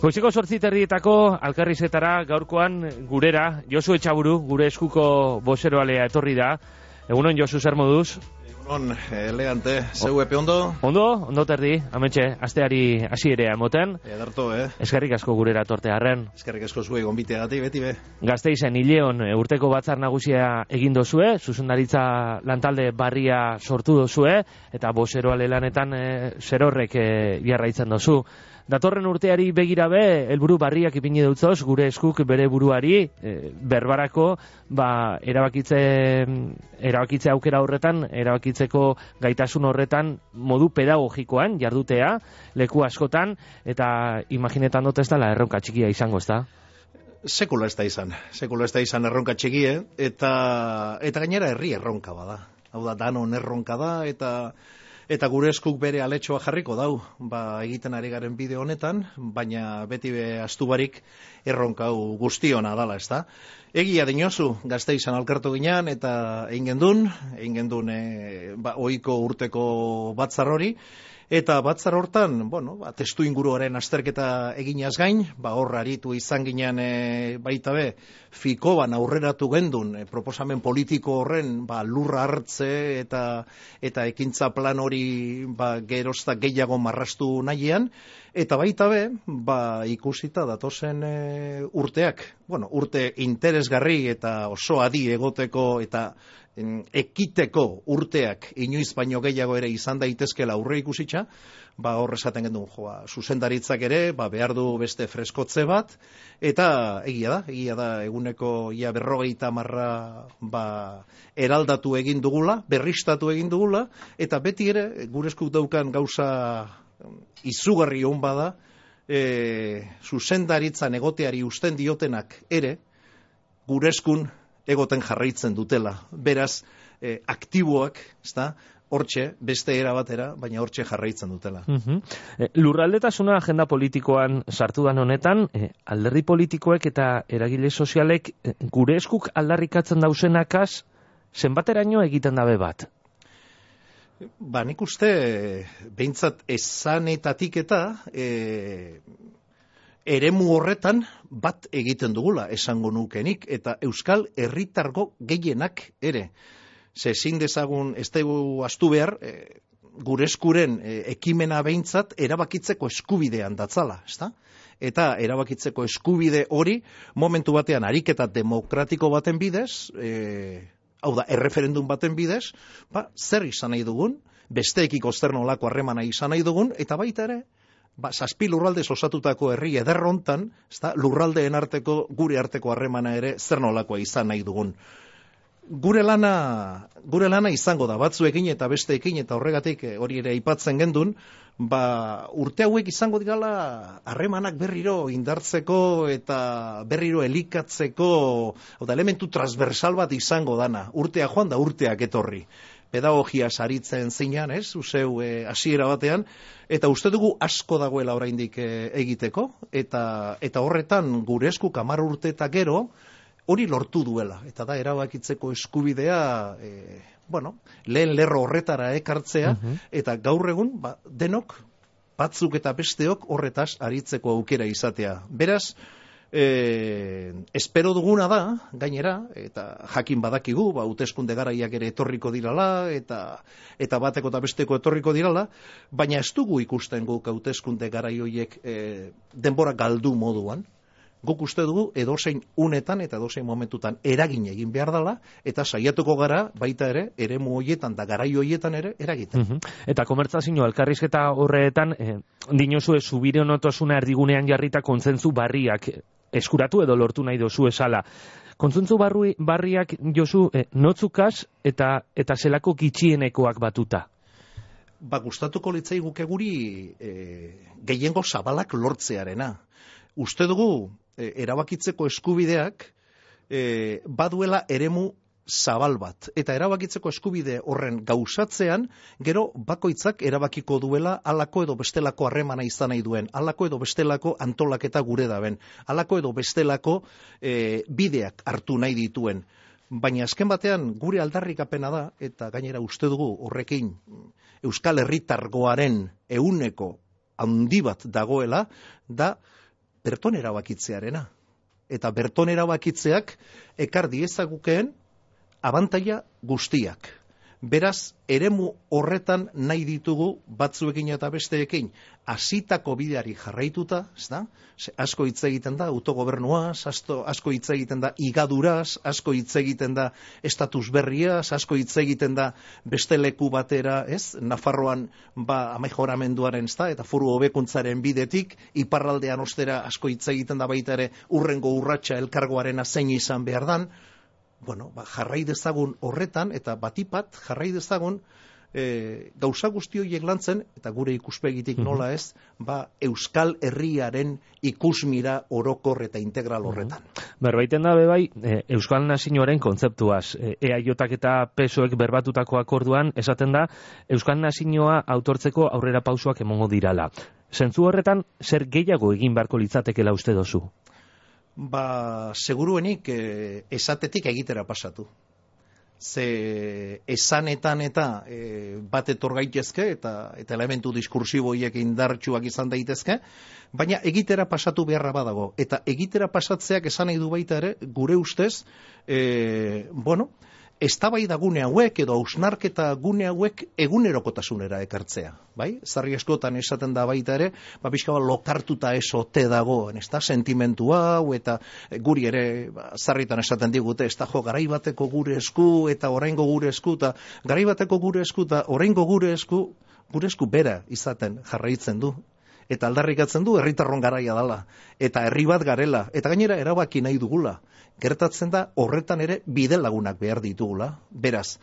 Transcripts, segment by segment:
Goizeko 8:30 Alkarrizetara gaurkoan gurera Josu Etxaburu, gure eskuko bozeroalea etorri da. Egunon Josu, zer moduz? Egunon, elegante, zeu epe ondo? Ondo terdi, ametxe, asteari hasierea emoten. Edarto, Eskerrik asko gurera tortearren. Eskerrik asko zuei gonbiteagatik, beti be. Gasteizen Ileon urteko batzar nagusia egin dozue, zuzendaritza lantalde barria sortu dozue, eta bozeroale lanetan zerorrek jarraitzen dozu. Datorren urteari begirabe, helburu barriak ipini dutzoz, gure eskuk bere buruari, berbarako, erabakitze aukera horretan, erabakitzeko gaitasun horretan, modu pedagogikoan jardutea, leku askotan, eta imaginetan dut ez dela erronka txikia izango, ez da? Sekula ez da izan erronka txikie, eta gainera herri erronka bada. Hau da, danon erronka da, eta gure eskuk bere aletxoa jarriko dau, egiten ari garen bideo honetan, baina beti be astubarik erronka hau guztiona dala, ez da. Egia dinozu, Gasteizan alkartu ginean, eta egin gendun ohiko urteko batzar hori, eta batzar hortan, testu inguruaren azterketa eginaz gain, hor aritu izan ginean baita be, Fikoban aurreratu gendun, proposamen politiko horren lurra hartze eta ekintza plan hori gerozta gehiago marrastu nahian, eta baita be, ikusita datozen urteak, urte interesgarri eta oso adi egoteko eta ekiteko urteak inoiz baino gehiago ere izan daitezkela aurre ikusitza, hor esaten gendun, zuzendaritzak ere, behar du beste freskotze bat, eta egia da, eguneko ia 50 eraldatu egin dugula, berristatu egin dugula, eta beti ere, gure eskuk daukan gauza izugarri hon bada, zuzendaritzan egoteari usten diotenak ere, gure eskun egoten jarraitzen dutela. Beraz, aktiboak, ezta, hortxe, beste era batera, baina hortxe jarraitzen dutela. Lurraldetasuna agenda politikoan sartu dan honetan, alderdi politikoek eta eragile sozialek gure eskuk aldarrikatzen dauzenakaz, zenbateraino egiten dabe bat? Nik uste, behintzat esanetatik eta eremu horretan bat egiten dugula esango nukenik, eta euskal herritargo gehienak ere. Ezin dezagun, ez dugu astu behar, gure eskuren ekimena behintzat erabakitzeko eskubidean datzala, ezta? Eta erabakitzeko eskubide hori momentu batean ariketa demokratiko baten bidez, hau da, erreferendum baten bidez, zer izan nahi dugun, besteekiko zer nolako harremana izan nahi dugun, eta baita ere, 7 lurraldez osatutako herri ederrontan, lurraldeen arteko, gure arteko harremana ere zer nolakoa izan nahi dugun. Gure lana izango da, batzuekin eta besteekin, eta horregatik hori ere aipatzen gendun, urte hauek izango dirala harremanak berriro indartzeko eta berriro elikatzeko, elementu transversal bat izango dana, urtea joan da urteak etorri. Pedagogia saritzen zeinan, uzeu hasiera batean, eta uste dugu asko dagoela oraindik egiteko, eta horretan gure eskuk 10 urte eta gero, hori lortu duela, eta da erabakitzeko eskubidea, lehen lerro horretara ekartzea, eta gaur egun, denok, batzuk eta besteok horretaz aritzeko aukera izatea. Beraz, espero duguna da, gainera, eta jakin badakigu, hauteskunde garaiak ere etorriko dirala, eta bateko eta besteko etorriko dirala, baina ez dugu ikusten guk hauteskunde garai horiek denbora galdu moduan. Guk uste dugu edozein unetan eta edozein momentutan eragin egin behar dela, eta saiatuko gara baita ere, eremu horietan da garai horietan ere eragiten. Eta komertzazio elkarrizketa horretan, dinozue subirenotasuna erdigunean jarrita kontzentzu barriak eskuratu edo lortu nahi dozu esala. Kontzentzu barriak, Josu, notzukaz eta zelako gitxienekoak batuta? Gustatuko litzai guke guri gehiengo zabalak lortzearena. Uste dugu, erabakitzeko eskubideak baduela eremu zabal bat. Eta erabakitzeko eskubide horren gauzatzean, gero bakoitzak erabakiko duela halako edo bestelako harremana izan nahi duen, halako edo bestelako antolaketa gure daben, halako edo bestelako bideak hartu nahi dituen. Baina azken batean gure aldarrikapena da, eta gainera uste dugu horrekin Euskal Herritargoaren 100% handi bat dagoela, da berton erabakitzearena. Eta berton erabakitzeak ekar diezagukeen abantaila guztiak. Beraz, eremu horretan nahi ditugu batzuekin eta besteekin hasitako bideari jarraituta, ezta? Asko hitz egiten da autogobernuaz, asko hitz egiten da igaduraz, asko hitz egiten da estatus berriaz, asko hitz egiten da beste leku batera, ez? Nafarroan amejoramenduaren, ezta? Eta foru hobekuntzaren bidetik, iparraldean ostera asko hitz egiten da baita ere urrengo urratsa elkargoarena zein izan behar dan. Bueno, jarrai dezagun horretan, eta batipat jarrai dezagun gauza guzti horiek lantzen, eta gure ikuspegitik nola ez, Euskal Herriaren ikusmira orokor eta integral horretan. Berbaiten da bebai, Euskal Nazioaren kontzeptuaz, EAJak eta PSOek berbatutako akorduan, esaten da, Euskal Nazioa autortzeko aurrera pausoak emongo dirala. Zentzu horretan, zer gehiago egin beharko litzatekela uste dozu? Seguruenik esatetik egitera pasatu. Ze esanetan eta bat etor gaitezke eta elementu diskursiboiek indartsuak izan daitezke, baina egitera pasatu beharra badago. Eta egitera pasatzeak esan nahi du baita ere, gure ustez, eztabaida gune hauek edo hausnarketa gune hauek egunerokotasunera ekartzea, bai? Sarri askotan esaten da baita ere, pixka bat lokartuta ez ote dagoen, ezta? Sentimentu hau eta guri ere sarritan esaten digute, ez da garai bateko gure esku eta oraingo gure esku eta garai bateko gure esku eta oraingo gure esku bera izaten jarraitzen du. Eta aldarrikatzen du herritarron garaia dela, eta herri bat garela, eta gainera erabaki nahi dugula. Gertatzen da horretan ere bide lagunak behar ditugula. Beraz,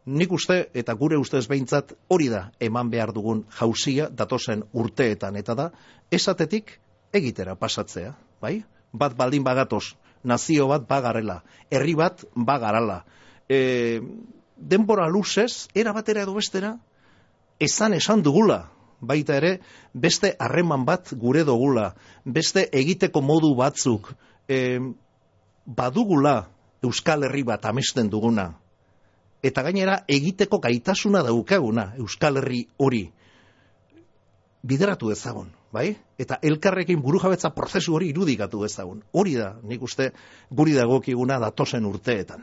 nik uste eta gure ustez behintzat hori da eman behar dugun jauzia datozen urteetan, eta da esatetik egitera pasatzea, bai? Bat baldin bagatoz, nazio bat bagarela, herri bat bagarala. Denbora luzez, era batera edo bestera, esan dugula. Baita ere, beste harreman bat gure dugula, beste egiteko modu batzuk, badugula Euskal Herri bat amesten duguna, eta gainera egiteko gaitasuna daukaguna Euskal Herri hori bideratu ezagun, bai? Eta elkarrekin burujabetza prozesu hori irudikatu ezagun. Hori da, nik uste, guri dagokiguna datozen urteetan.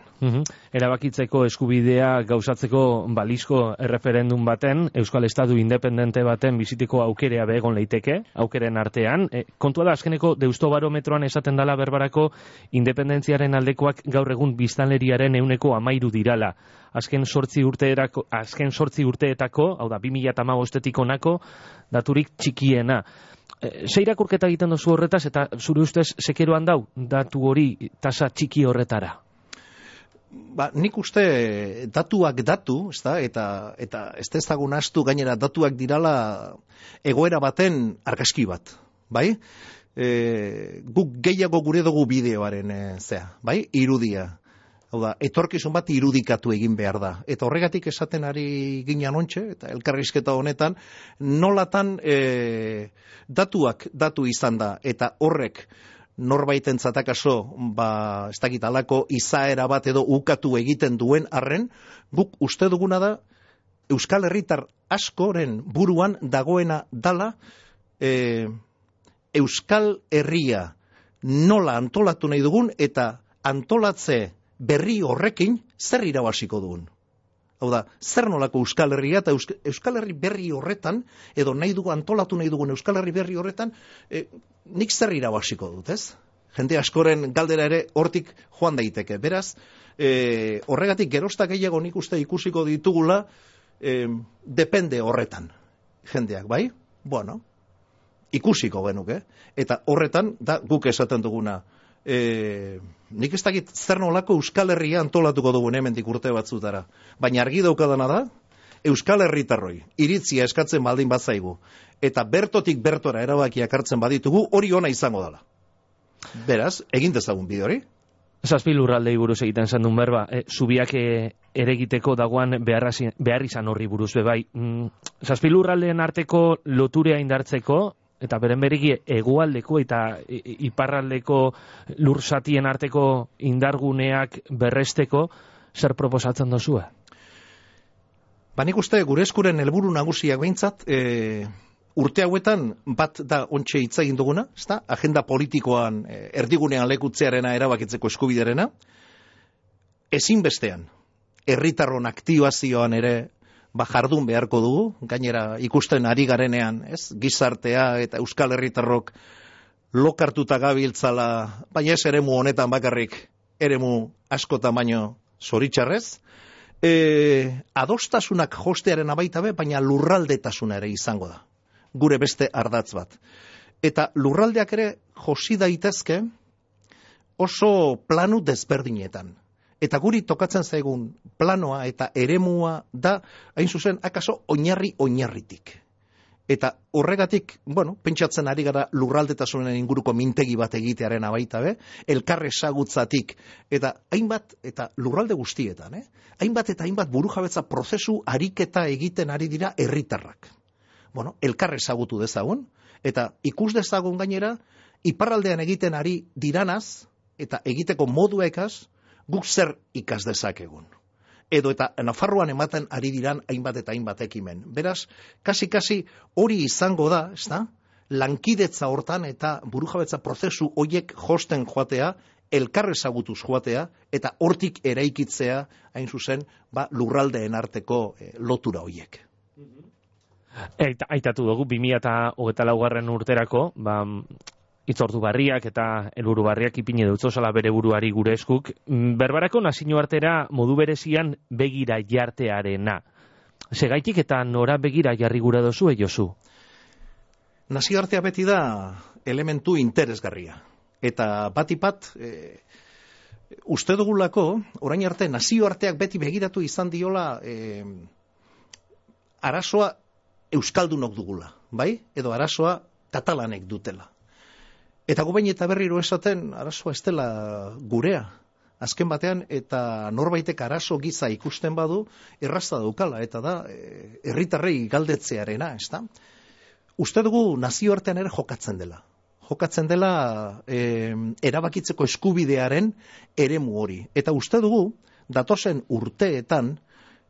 Erabakitzeko eskubidea gauzatzeko balizko erreferendum baten, Euskal Estatu independente baten biziteko aukerea begon leiteke, aukeren artean. Kontua da, azkeneko Deustobarometroan esaten dala berbarako independentziaren aldekoak gaur egun biztanleriaren 13% dirala. Azken 8 urteetako, hau da, 2015 honako, daturik txikiena. Ze irakurketa egiten duzu horretaz, eta zure ustez sekeroan dau datu hori tasa txiki horretara? Nik uste datuak datu, eta ez dezagun astu gainera datuak dirala egoera baten argazki bat, bai? Guk gehiago gure dugu bideoaren bai? Irudia. Hau da, etorkizun bat irudikatu egin behar da. Eta horregatik esaten ari ginen ontxe, eta elkarrizketa honetan, nolatan datuak datu izan da, eta horrek norbaiten zatakaso, ez dakit alako izaera bat edo ukatu egiten duen arren, guk uste duguna da, Euskal Herritar askoren buruan dagoena dala, Euskal Herria nola antolatu nahi dugun, eta antolatze berri horrekin zer irabaziko dugun. Hau da, zer nolako Euskal Herria eta Euskal Herri berri horretan, edo antolatu nahi dugun Euskal Herri berri horretan, nik zer irabaziko dut, ez? Jende askoren galdera ere hortik joan daiteke. Beraz, horregatik geroztak gehiago nik uste ikusiko ditugula, depende horretan, jendeak, bai? Bueno, ikusiko genuke. Eta horretan, da guk esaten duguna, nik ez dakit zer nolako Euskal Herria antolatuko dugun hemendik urte batzutara. Baina argi daukadana da, Euskal Herritarroi iritzia eskatzen baldin bazaigu, eta bertotik bertora erabakiak hartzen baditugu, hori ona izango dela. Beraz, egin dezagun bide hori. Zazpi lurraldei buruz egiten zen duen berba, zubiak eregiteko dagoan behar izan horri buruz bebai. Zazpi lurraldeen arteko loturea indartzeko, eta beren beregi hegoaldeko eta iparraldeko lursatien arteko indarguneak berresteko, zer proposatzen dozue? Nik uste gure eskuren helburu nagusiak behintzat, urte hauetan bat da ontxe hitz egin duguna, ezta? Agenda politikoan erdigunean lekutzearena erabakitzeko eskubiderena, ezinbestean herritarron aktibazioan ere jardun beharko dugu, gainera ikusten ari garenean, ez? Gizartea eta euskal herritarrok lokartuta gabiltzala, baina ez eremu honetan bakarrik, eremu askotan baino zoritxarrez, adostasunak jostearen abaitabe, baina lurraldetasuna ere izango da. Gure beste ardatz bat. Eta lurraldeak ere josi daitezke oso planu desberdinetan. Eta guri tokatzen zaigun planoa eta eremua da, hain zuzen, akaso oinarritik. Eta horregatik, pentsatzen ari gara lurraldetasunen inguruko mintegi bat egitearen abaitabe, elkarre sagutzatik, eta hainbat, eta lurralde guztietan, hainbat eta hainbat burujabetza prozesu ariketa egiten ari dira herritarrak. Elkarre sagutu dezagun, eta ikus dezagun gainera, iparraldean egiten ari diranaz, eta egiteko moduekaz, guk zer ikas dezakegun. Edo eta Nafarroan ematen ari diran hainbat eta hainbat ekimen. Beraz, kasi hori izango da, ezta? Lankidetza hortan eta burujabetza prozesu hoiek josten joatea, elkarre ezagutuz joatea, eta hortik eraikitzea, hain zuzen, lurraldeen arteko lotura hoiek. Aitatu dugu, 2024 urterako, itzordu barriak eta helburu barriak ipini dutzozala bere buruari gure eskuk, berbarako nazioartera modu berezian begira jartearena. Segaitik eta nora begira jarri gura dozu, Josu? Nazioartea beti da elementu interesgarria. Eta batipat, uste dugulako, orain arte, nazioarteak beti begiratu izan diola arazoa euskaldunok dugula, bai? Edo arazoa katalanek dutela. Eta gubain eta berriro esaten, arazoa ez dela gurea. Azken batean, eta norbaitek arazo giza ikusten badu, errazta daukala, eta da, herritarrei galdetzearena, ez da? Uste dugu nazioartean ere jokatzen dela. Jokatzen dela erabakitzeko eskubidearen eremu hori. Eta uste dugu, datozen urteetan,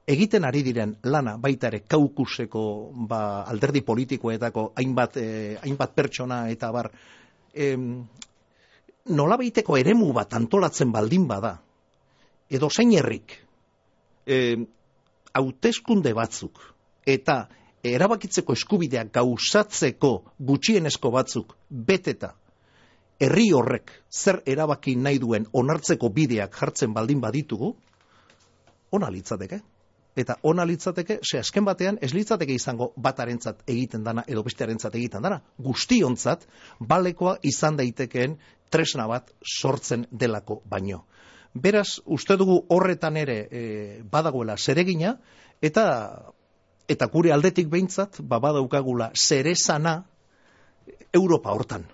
egiten ari diren lana, baita ere Kaukuseko alderdi politikoetako hainbat pertsona eta bar, nolabaiteko eremu bat antolatzen baldin bada, edo zein herrik, hauteskunde batzuk, eta erabakitzeko eskubideak gauzatzeko gutxienezko batzuk beteta, herri horrek zer erabaki nahi duen onartzeko bideak jartzen baldin baditugu, ona litzateke. Eta ona litzateke, azken batean, ez litzateke izango batarentzat egiten dana edo bestearentzat egiten dana. Guztiontzat, balekoa izan daitekeen tresna bat sortzen delako baino. Beraz, uste dugu horretan ere badagoela zeregina, eta gure aldetik behintzat, badaukagula zeresana Europa hortan.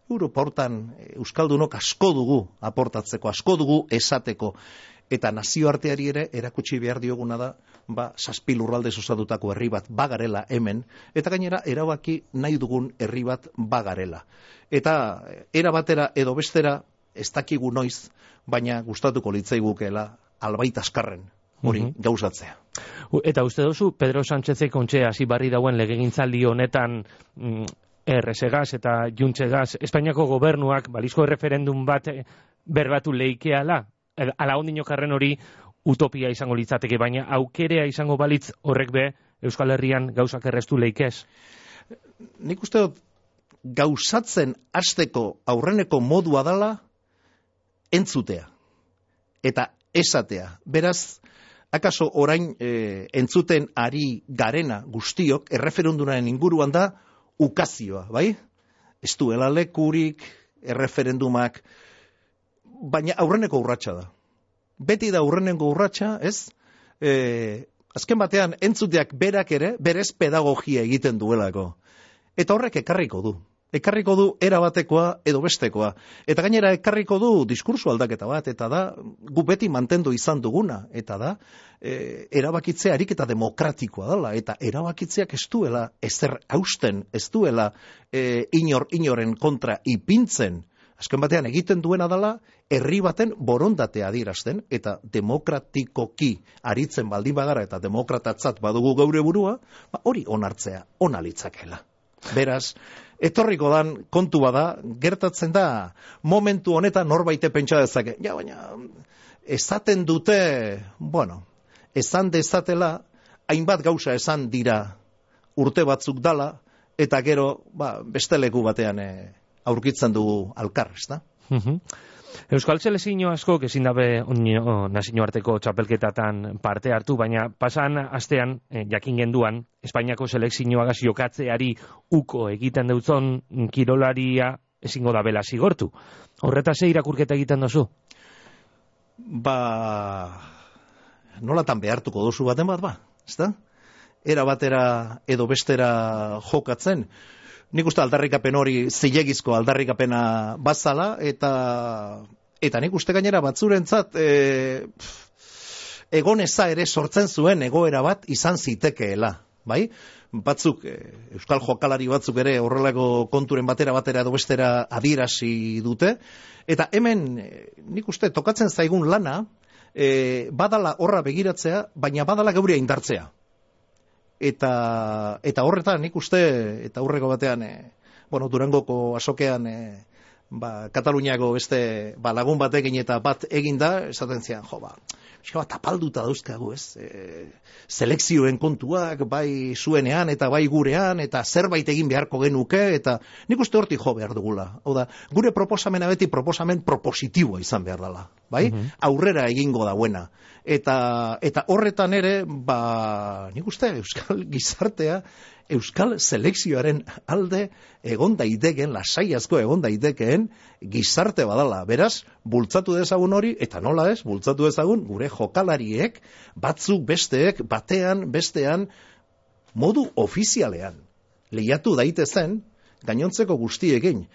Europa hortan euskaldunok asko dugu aportatzeko, asko dugu esateko. Eta nazioarteari ere erakutsi behar dioguna da, 7 lurraldez osatutako herri bat bagarela hemen, eta gainera erabaki nahi dugun herri bat bagarela. Eta era batera edo bestera ez dakigu noiz, baina gustatuko litzaigukeela albait askarren hori gauzatzea. Eta uste duzu, Pedro Sánchezek ontxe hasi barri dauen legegintzaldi honetan errezegaz eta juntzegaz, Espainiako gobernuak balizko referendum bat berbatu leikeala? Ala ondinokarren hori utopia izango litzateke, baina aukerea izango balitz horrek be Euskal Herrian gauzak errestu leikez? Nik uste dut gauzatzen hasteko aurreneko modua dala entzutea eta esatea. Beraz, akaso orain entzuten ari garena guztiok erreferendumaren inguruan da ukazioa, bai? Ez duela lekurik, erreferendumak, baina aurreneko urratsa da. Beti da aurreneko urratsa, ez? Azken batean entzuteak berak ere, berez pedagogia egiten duelako. Eta horrek ekarriko du. Ekarriko du erabatekoa edo bestekoa. Eta gainera ekarriko du diskurso aldaketa bat, eta da, gu beti mantendu izan duguna, eta da, erabakitzea ariketa demokratikoa dela, eta erabakitzeak ez duela ezer hausten, ez duela inoren kontra ipintzen. Azken batean egiten duena dela, herri baten borondatea adierazten, eta demokratikoki aritzen baldin bagara eta demokratatzat badugu gaure burua, hori onartzea, ona litzakela. Beraz, etorriko dan kontu bada, gertatzen da, momentu honetan norbaite pentsa dezake. Ja, baina, esaten dute, bueno, esan dezatela, hainbat gauza esan dira urte batzuk dala, eta gero, beste leku batean aurkitzen dugu alkar, ez da? Euskal selekzio askok ezin dabe nazioarteko txapelketatan parte hartu, baina pasan astean jakin genduan Espainiako selekzioagaz jokatzeari uko egiten deutzon kirolaria ezingo da bela zigortu. Horretaz ze irakurketa egiten dozu? Nolatan behartuko duzu baten bat, ezta? Era batera edo bestera jokatzen. Nik uste aldarrikapen hori zilegizko aldarrikapena bazala, eta nik uste gainera batzurentzat egoneza ere sortzen zuen egoera bat izan zitekeela, bai? Batzuk, euskal jokalari batzuk ere horrelako konturen batera edo bestera adierazi dute, eta hemen nik uste tokatzen zaigun lana, badala horra begiratzea, baina badala geurea indartzea. Eta horretan nik uste, eta aurreko batean, Durangoko azokean, Kataluniako beste lagun batekin eta bat eginda, esaten zian, tapalduta dauzkagu, ez? Selekzioen kontuak, bai zuenean eta bai gurean, eta zerbait egin beharko genuke, eta nik uste hortik jo behar dugula. Hau da, gure proposamena beti proposamen propositiboa izan behar dela, bai? Aurrera egingo dauena. Eta horretan ere, nik uste euskal gizartea, euskal selekzioaren alde egon daiteken, lasai asko egon daiteken gizarte badala. Beraz, bultzatu dezagun hori, eta nola ez, bultzatu dezagun gure jokalariek, batzuk besteek, batean, bestean, modu ofizialean. Lehiatu daitezen, gainontzeko guztiekin.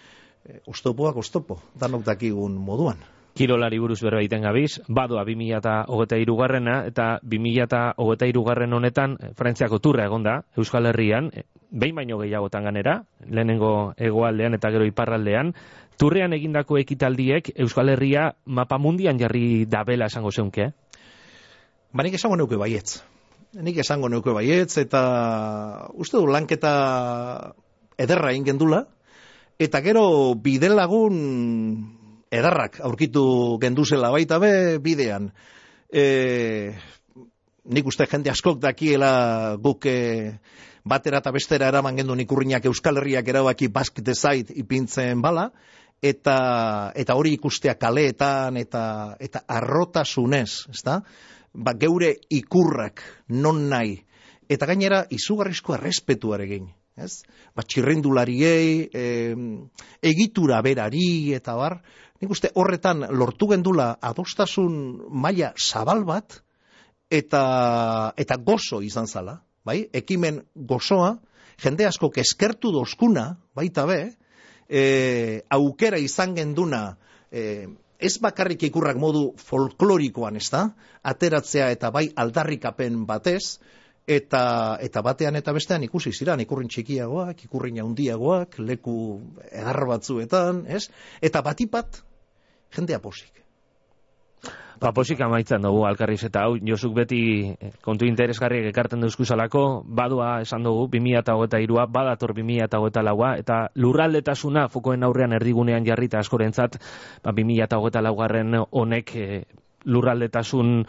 Oztopoak oztopo, danok dakigun moduan. Kirolari buruz berbaiten gabiz, badoa 2023 eta 2023 honetan Frantziako turra egonda, Euskal Herrian, behin baino gehiagotan ganera, lehenengo hegoaldean eta gero iparraldean, turrean egindako ekitaldiek Euskal Herria mapa mundian jarri dabela esango zeunke? Nik esango neuke baietz. Eta uste du lanketa ederra ingendula, eta gero bidelagun edarrak aurkitu genduzela baita be bidean. Nik uste jende askok dakiela guk batera eta bestera eraman gendun ikurriak Euskal Herriak erabaki Basque Decide ipintzen bala, eta hori ikustea kaleetan eta arrotasunez, ezta? Geure ikurrak non nahi, eta gainera izugarrizko errespetuarekin. Ez? Txirrindulariei, egitura berari eta bar, nik uste horretan lortu gendula adostasun maila zabal bat eta gozo izan zala, bai? Ekimen gozoa, jende asko eskertu dozkuna, baita be, aukera izan genduna, ez bakarrik ikurrak modu folklorikoan, ez da? Ateratzea eta bai aldarrikapen batez, eta batean eta bestean ikusi ziran, ikurrin txikiagoak, ikurrin handiagoak, leku edar batzuetan, ez? Eta batipat, jendea posik. Posik amaitzen dugu alkarriz eta hau, Josuk beti kontu interesgarriak ekarten duzkuzalako, badua esan dugu 2023a, badator 2024a, eta lurraldetasuna fokoen aurrean erdigunean jarrita askorentzat, 2024 honek lurraldetasun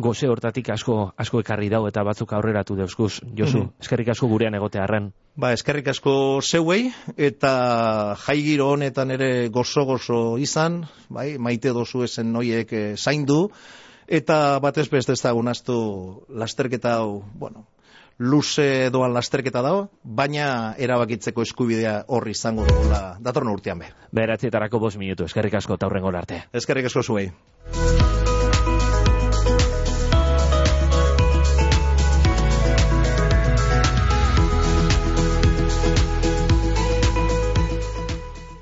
goze hortatik asko ekarri dau eta batzuk aurreratu deuzkuz. Josu, eskerrik asko gurean egotearren. Eskerrik asko zeuei, eta jaigiro honetan ere gozo izan, maite dozu esen noiek zaindu, eta batez beste ez dago naztu lasterketa hau, luze doan lasterketa dago, baina erabakitzeko eskubidea horri izango dugula datorren urtean be. 9:05, eskerrik asko eta hurrengo arte. Eskerrik asko zuei.